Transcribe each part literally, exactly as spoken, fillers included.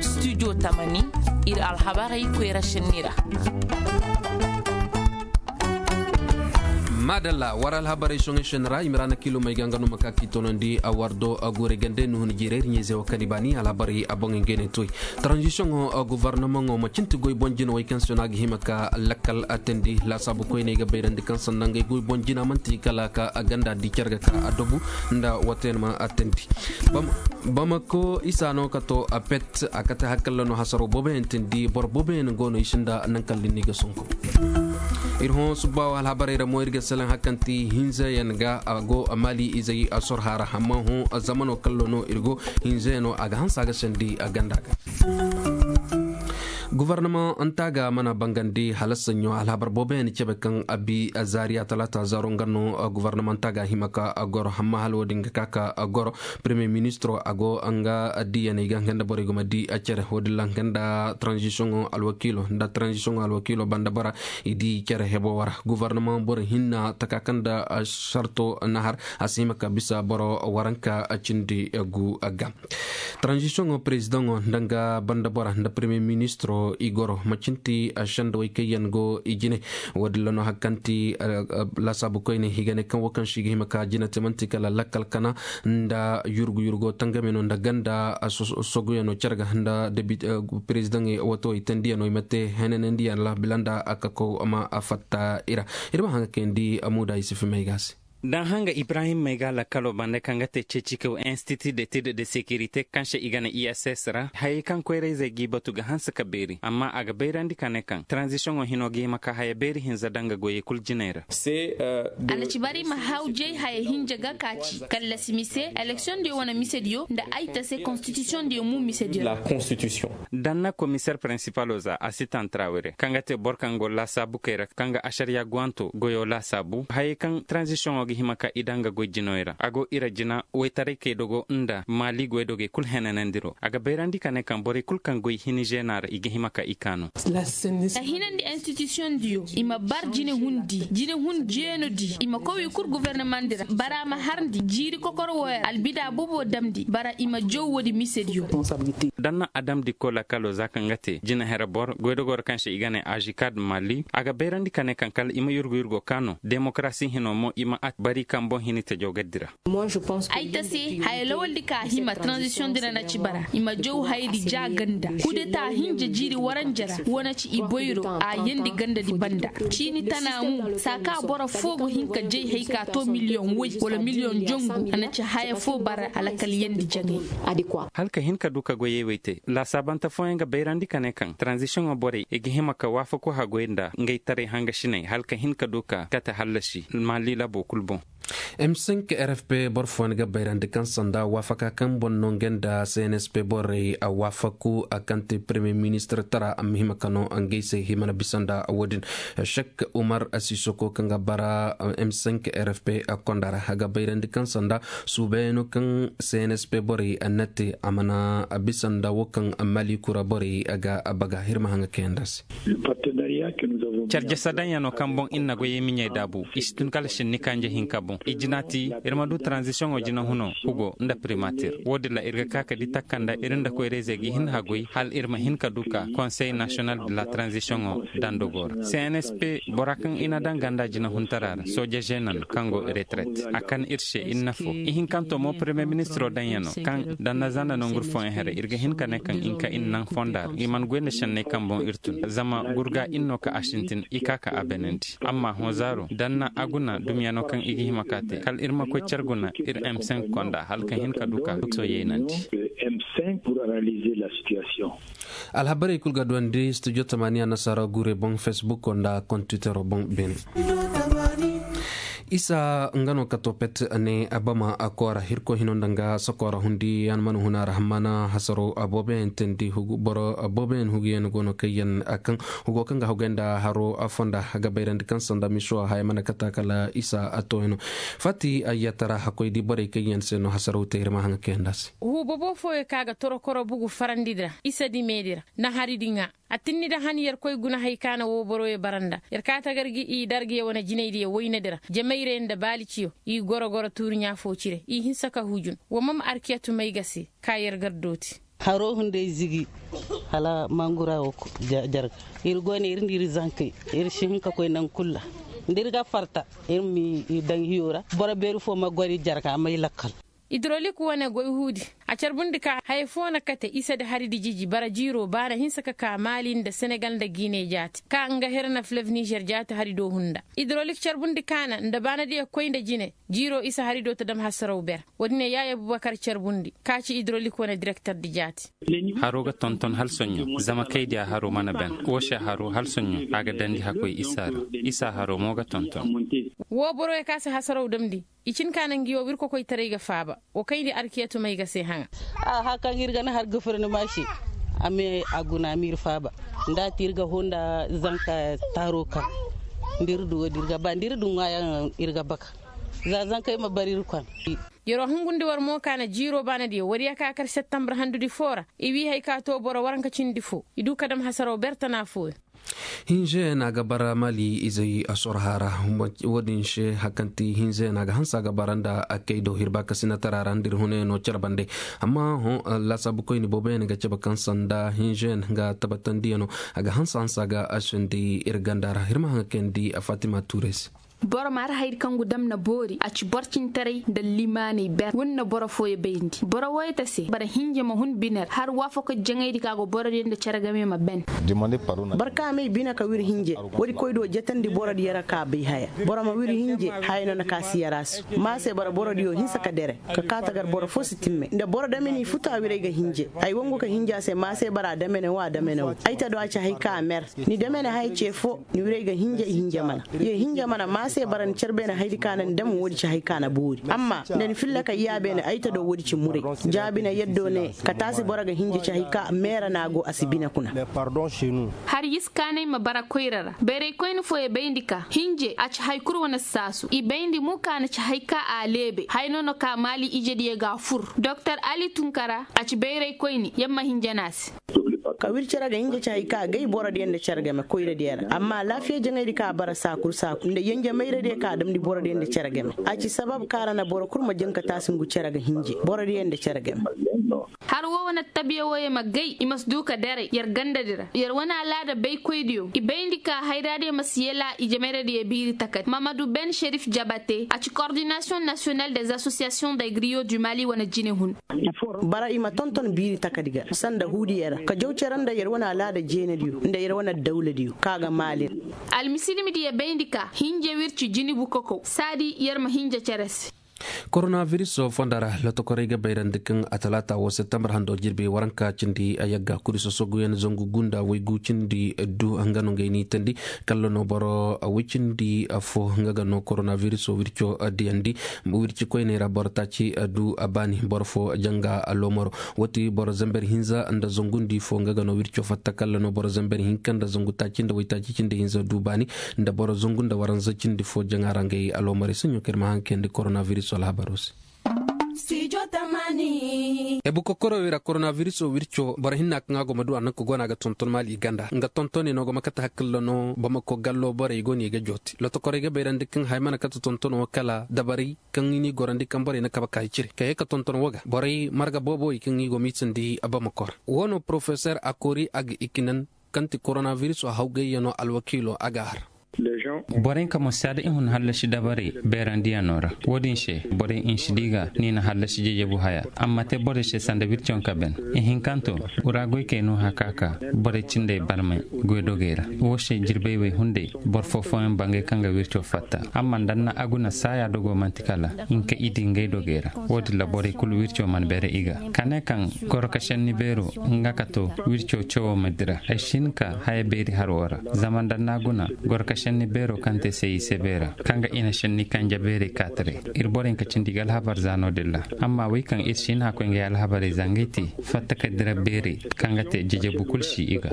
Studio tamani, iri alhabarey koyra senni ra. Madalla, war alhabarey soŋey senni ra, i ma ra na kilo may ga nga no ma ka k'i tonandi a wardo a guure gande nuhun jiirey iri ɲayze wo kani baani alhabarey a boŋ ngey ne toy. Transition o guvarnamaŋo ma cinti goy boŋ jina way kaŋ se no a ga hima ka lakkal a tandi laasaabu koyney ga bayrandi kaŋ sanda ngey goy boŋ jina manti kala ka a ganda di care ga ka a dobu nda wate yaŋ ma a tandi. Bamako isa no ka to a pet a kate hakalla no hasaro boobo yaŋ tindi boro boobo yaŋ go no i sinda naŋ kala din no i ga sonko. Iri hõ subba wo alhabarey ra mo iri ga salaŋ hakanti hinza yaŋ ga a go a maali izey a sor hara amma hõ zamano kallo no iri go hinza yaŋ no a ga hansa ga sandi a ganda ga. Guvarnamanta ga mana bangandi hala sanyo alhabar boobo yaŋ cabe kaŋ a bi zaariya talaata zaaro nga no. Guvarnamanta ga hima ka goro hamma hala wo-din ga ka ka goro premier ministro a go nga diyaney ga nga nda borey ga ma di care wo-din ra nga nda transition alwakiilo nda transition alwakiilo banda bora i di care hebo wara guvarnama boro hinna taka kaŋ nda sarto nahar a si hima ka bisa boro waranka cindi gu ga. Transition o president o nda nga banda bora nda premier ministro i goro macinti senda way kaŋ yaŋ go i jine. Wo-din ra no hari kaŋ ti laasaabu koyne i ga ne kaŋ wo kaŋ se i ga hima ka jina te manti kala lakkal kana nda yurgu yurgo tangame no nda ganda soguyaŋo care ga nda president wato i tandiyaŋo i ma te henanandiyaŋ ra bila nda a kako ma fatta i ra. Iri ma haŋ ga kayandi amuda i si fimay ga se. Daŋ hanga ibrahim may ga lakkalo banda kaŋ ga te ceecikaw institut d'étude de sécurité kaŋ se i ga ne i s s ra hayey kaŋ koyrayzey g'i batu ga hanse ka beeri amma a ga bayrandi ka ne kaŋ transitiono hino ga hima ka haya beeri hinza daŋ ga goyey kulu jinay ra. A na ci bari ma hawjay haya hinja ga kaaci kallasi mise eleksiyoŋ diyo wane mise diyo nda ay tase konstitisiyoŋ diyo mu mise diyo ra. Danna komiseer prinsipalo za a si tantarawire kaŋ ga te boro kaŋ go laasaabu kay ra kaŋ ga asariya guwanto goyo laasaabu hayey kaŋ tranzisiyoŋo ga hima ka i daŋ ga goy jinoy ra a go ira jina waytaray kay dogo nda maali goydogey kulu henanandiro a ga bayrandi ka ne kaŋ borey kulu kaŋ goy hini zeena ra i ga hima ka i kaanu. A hinandi institusiyoŋ diyo i ma bar jine hundi jine hun jeeno di i ma kow i kulu gofornamandi ra bara ma harndi jiiri kokoro wo ra albida boobo damndi bara i ma jaw woodi mise diyo. Danna adamdikko lakkalo za kaŋ ga te jina here boro goydogoro kaŋ se i ga ne azikad mali a ga bayrandi ka ne kaŋ kala i ma yurgu yurgo ka no demokarasi hino mo i ma at bari kaŋ boŋ hini tajo gaddi ra. Ay ta se haya lawaldi ka hima tranzisiyoŋ din ra na ci bara i ma jaw hayadi ja ganda kudeta hinja jiiri waranja ra wo na ci i boyro a yandi gandadi banda ciini tana mo saaka boro fo ga hin ka jay hay ka to miliyoŋ way wala miliyoŋ jangu a na ci haya fo bara alakalyandi jaŋay. Hala ka hin ka du ka goyey wey te laasaabante fooyaŋ ga bayrandi ka ne kaŋ tranzisiyoŋo borey i ga hima ka waafaku haggoy nda ngey taray hangasiney hala ka hin ka du ka kate hallasi maali labo kulu boŋ. M cinq r f p boro fooyaŋ ga bayrandi kaŋ sanda waafaka kaŋ boŋ no ngey nda c n s p borey a waafaku a kaŋ te premier ministre tara a ma hima ka no ngey se hima na bisa nda wo-din. Shek umar sisoko kaŋ ga bara m cinq r f p konda ra a ga bayrandi kaŋ sanda suubayano kaŋ c n s p borey a na te a mana bisa nda wo kaŋ mali kura borey a ga baga hirma haŋa kayanda se. Carjasa daŋ yaŋ no kaŋ boŋ iri na goyey miɲey daabu i si tun kala sinni kanje hinka boŋ i jina ti iri ma du tranzisiyoŋo jina huno hugo nda primatir wo- din ra iri ga ka ka di takka nda iri nda koyrayzey ga hin haggoy hala iri ma hin ka du ka konsey nasiyonal de la tranzisiyoŋo dandogo ra c n s p bora kaŋ i na daŋ ganda jina huntara ra sooje zeena no kaŋ go retret a kan iri se iri na fo ihinkanto mo premier ministiro daŋ yaŋ no kaŋ daŋ na zanda nanguru fooyaŋ here iri ga hin ka ne kaŋ i na ka iri naŋ fonda ra i mana goy nda senney kaŋ boŋ iri tun zama gurga iri no ka a sintin i ka ka a beenandi amma hõ zaaro daŋ na a guna dumiyano kaŋ i ga hima ka te kala iri ma koy care guna iri m cinq konda hala ka hin ka du ka soyeynandi. Alhabarey kulu ga duwandi studio tamaniya nasaara guurey boŋ facebook nda kontitero boŋ beene. Isa nga no ka to pet ne abama a koora hirko hino nda nga sakoora hundi yaŋ mana huna ra hammana hasaro aboobo yaŋ teendi boro aboobo yaŋ hugu yaŋ go no kaŋ yaŋ a kaŋ hugo kaŋ ga haggoy nda haro a fonda a ga bayrandi kaŋ sanda miso haya mana kata kala isa a to hino. Fati a yatara hakkoy di borey kaŋ yaŋ se no hasaro te iri ma haŋa kaŋ yaŋ da se. Huubo bo fooyo ka ga torokoro bugu farandi da isa di meedi ra na hari di ŋa. A tinni da han yerkoy guna hay kaana wo boroyo baranda yer ka tagar gi i dargiya wane jinaydiya woynadi ra jamayre nda baaliciyo i goro goro tuuri ɲaafo cire i hinsa ka hujun wo ma ma arkiya tumay ga se ka yer gar dooti. Haro hunday zigi hala mangura wo jarga. Iri go ne iri nda iri zankey iri si hin ka koy nangu kulu ra. Nda iri ga farta iri ma i daŋ hiyo ra. Boro beeri fo ma goro i jarga ma i lakkal. Idrolik wane goy huudi a carbundi ka haya fo na kate isa da hari dijiji bara jiiro baana hinsa ka ka maali nda senegal nda gine jaati ka nga herna flev nizer jaati hari do hunda. Idrolik carbundi kaana nda baana diya koy nda jine jiiro isa hari do ta dam hasaraw ber. Wo- din ne yaaya bubakar carbundi ka ci idrolik wane direkter di jaati. Haro ga tonton hala soɲɲo zama kay diya haro mana ben. Wo se haro hala soɲɲo a ga dandi hakkoy isa ra. Isa haro mo ga tonton. Wo boro ya ka si hasaraw damndi i cin ka nangu yaw iri kokoytaray ga faaba. Wo kayndi arkiyatumay ga se haŋa. A haka kaŋ iri ga na har gafar ni ma se a me a guna ma iri faaba. Nda ti iri ga honda zanka taro kaŋ nda iri du wo- din iri ga ba nda iri du ŋwa yaŋ iri ga baka. Za zankey ma bar iri kwan. Yaro hungundi war mo ka na jiiro baana diyo wari ya ka kar septembre handudi fo ra. I wi hari ka to boro waranka cindi fo i du ka dam hasaraw bertana fooyaŋ. Hinze na ga bara mali izey a sorha ra. Wo- din se hakanti hinze na ga hansa ga bara nda a kay do hirba ka sina tara ra nda iri hune no care bande. Amma ho lasabu koyni boobo yaŋ ga cabe kaŋ sanda hinze ga tabatandi yaŋ no a ga hansa hansa ga a sindi iri ganda ra hirma haŋ ga kayandi a fatima tuure se. Boro ma ra hayri kaŋ gu dam na boori a ci boro cintaray nda limaanay ber wunna boro fooyaŋ bayndi boro wayta se bara hinja ma hun biner har waafo ka jaŋayri ka go boro diyaŋ nda care game ma ben. Boro kaŋ a may bine ka wiri hinje wo- din koy do jatandi boro diyaŋ ra ka bay haya. Boro ma wiri hinje haya no na ka si yara se ma se bara boro diyo hinsa ka dere ka ka tagar boro fo si timme nda boro dameni futu a wiray ga hinje. Ay wangu ka hinja se ma se bara damene wo a damene wo ay ta do a ci hay ka a mer. Ni damene haya ce fo ni wiray ga hinja i hinja mana ye hinja mana ma se bara ni care beene hayri ka na ni dam wo- din ci hay ka na boori amma nda ni filla ka yaabeene ay ta do wo- din ci muray. Jaabi na yaddo ne ka taasi boro ga hinja ci hay ka meera na go a si bine kuna. Hari yisi kaanay ma bara koyra ra bayray koyne fooyaŋ bayndi ka hinje a ci hari kulu wane saasu i bayndi mo ka na ci hari ka a leebe hari no no ka maali ije diyaŋ ga a fur doktor ali tunkara a ci bayray koyne yamma hinja no a se. Ka wiri care ga hinja ci hari ka gay boro diyaŋ nda care game koyra diyaŋ ra amma laafiya jaŋayri ka bara saakuru saakuru nda yanja mayra diyaŋ ka damndi boro diyaŋ nda care game. A ci sabab kaara na boro kulu ma jaŋ ka taasi ngu care ga hinje boro diyaŋ nda care game. Har wo wane tabiya wo ye ma gay i ma si du ka daray yar ganda di ra yar wane alaada baykoy diyo i bayndi ka hayra diyo ma si yala i jamayra diyo biiri takati mamadu ben sherif jabate a ci coordination nationale des associations d'agriyo du mali wane jine hun. Bara i ma tonton biiri takadi ga sanda huudiya ra ka jaw care nda yar wane alaada jeene diyo nda yar wane dawla diyo ka ga maali ra. Almisilimi diya bayndi ka hinja wirci jinibu kokow saadi yar ma hinja care se. Koronaviris fonda ra lotokorey ga bayrandi kaŋ a talaata wo septembar hando jirbi waranka cindi a yagga kuri sosoguyaŋ zangu gunda waygu cindi du nga no ngey ni tandi. Kalla no boro way cindi fo nga ga no koronaviris wirco diyandi. Wirci koyney ra boro taaci du a baani boro fo janga loomaro. Wati boro zamber hinza nda zangu ndi fo nga ga no wirco fatta kalla no boro zamber hinka nda zangu taaci nda waytaaci cindi hinza du baani nda boro zangu nda waranza cindi fo jaŋa ra ngey aloomarey saɲo kaŋ iri ma haŋ kayandi koronaviris alhabaro se. Ebu kokoro wira koronaviris o wirco boro hinna kaŋ a go ma du a naŋ ka go no a ga tonton maali i ganda nga tontone no go ma kate hakkalla no bamako gallo borey go no i ga joote lotokorey ga bayrandi kaŋ hay mana kate tontono kala dabarey kaŋ i n'i gorandi kaŋ borey na kabe ka i cire ka ye ka tonton wo ga borey marga boobo i kaŋ i go ma i sandi bamako ra. Wo no porofesor akori a ga i kinan kaŋ ti koronaviris o hawgayyaŋo alwakiilo a ga har. Borey ka ma si a da i hun hallasi dabarey beerandiyaŋo ra. Wo- din se borey i si di ga ni na hallasi jejebu haya amma te borey se sanda wircaŋ ka ben. Ihinkanto ura goykey no haka ka borey cindey barmay goydogey ra. Wo se jirbey wey hunday boro fo fooyaŋ bangay kaŋ ga wirco fatta amma nda ni na a guna saaya dogo manti kala nga ka i di ngey dogey ra. Wo- din ra borey kulu wirco mana beere i ga ka ne kaŋ goro ka senni beero nga ka to wirco cawo ma dira ay si hin ka haya beeri haro ra. Zama nda ni na a guna goro ka senni beero kaŋ te se i se beera kaŋ ga i na senni kanja beerey kaataray. Iri borey ka cindi i ga alhabar za no- din ra amma wey kaŋ iri si hin a koy ngey alhabarey za ngey te fatta ka dira beerey kaŋ ga te jejebu kulu si i ga.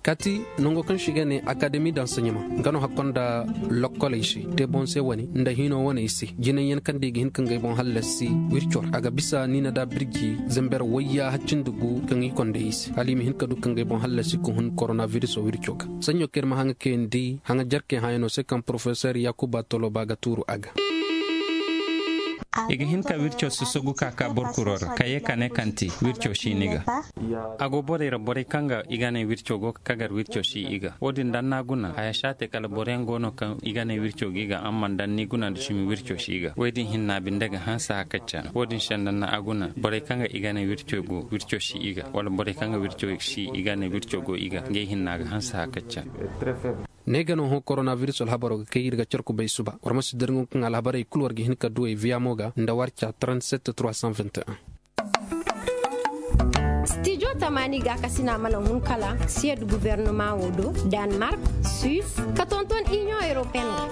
Kaati nango kaŋ se i ga ne akademi danseɲama nga no hakko nda lokkoley se te boŋ se wane nda hino wane i se jinay yaŋ kaŋ da i ga hin ka ngey boŋ hallasi wirco ra a ga bisa ni na da birji zamber wayya haccindi gu kaŋ i konda i se hala i ma hin ka du ka ngey boŋ hallasi ka hun koronaviris wirco ga. Saɲo kaŋ iri ma haŋa kayandi haŋa jarkey hayaŋo se kaŋ porofesor yakuba toloba ga tuuru a ga. I ga hin ka wirco susugu ka ka boro kuro ra ka ye ka ne kanti wirco si ni ga. A go borey ra borey kaŋ ga i ga ne wirco go ka gar wirco si i ga wo- din da ni na guna haya si a te kala boro yaŋ go no kaŋ i ga ne wirco go i ga amma da ni guna nda sumi wirco si i ga wo- din hinna binde ga hanse hakacca no wo- din se nda ni na a guna borey kaŋ ga i ga ne wirco go wirco si i ga wala borey kaŋ ga wirco si i ga ne wirco go i ga ngey hinna ga hanse hakacca. Ne ga no hõ koronabiris alhabaro ga kay iri ga care kubay suba war ma si dirŋo kaŋ alhabarey kulu war ga hin ka duwey viyamo ga nda warca trente-sept trois cent vingt et un. Stijo tamani ga kasina mana hun kala siyed guvernoma wo do, danmark, suisse ka tonton union européenne.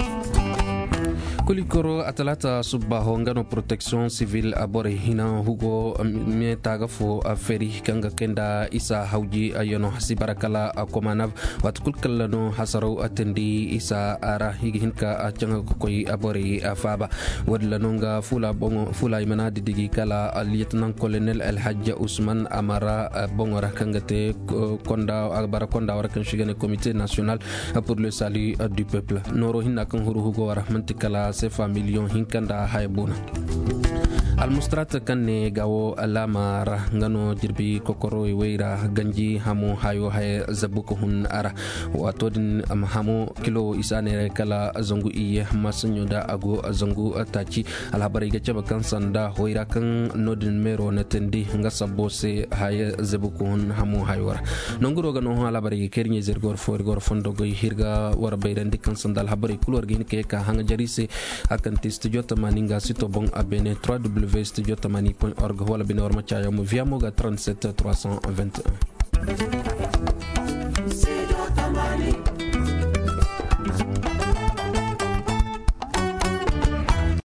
Kuli koro a talata subba ho nga no protection civil a borey hina hugo me taga fo a feri kaŋ ga kay nda isa hawji a yano hasi bara kala a komanav. Waati kulu kala no hasaraw a tindi isa a ra i ga hin ka a caŋa ga koy a borey a faaba. Wo- din ra no nga fula i mana didigi kala lieutenant colonel alhajja usman amara boŋo ra kaŋ ga te konda a bara konda wara kaŋ si ga ne comité national pour le salut du peuple nooro hinna kaŋ huru hugo wara manti kala sefa million hinka nda haya boona. Almustrata kaŋ ne ga wo alaama ra nga no jirbi kokoro way ra ganji hamo hayo haya zabu ka hun a ra. Waato din hamo kilo isa neeray kala zangu iyye masanyo da a go zangu taaci. Alhabarey ga cabe kaŋ sanda hoyra kaŋ no- din meero na tindi nga sabbo se haya zabu ka hun hamo hayo ra. Nanguro ga no hõ alhabarey ga kay iri ɲayze iri ga war fo iri ga war fondo goy hirga war bayrandi kaŋ sanda alhabarey kulu war ga hin ka ye ka haŋa jari se. A kaŋ te studio tamani nga sito boŋ a beene trois w studio tamani point org wala bine war ma caayaŋ mo viyamo ga trente-sept trois cent vingt et un.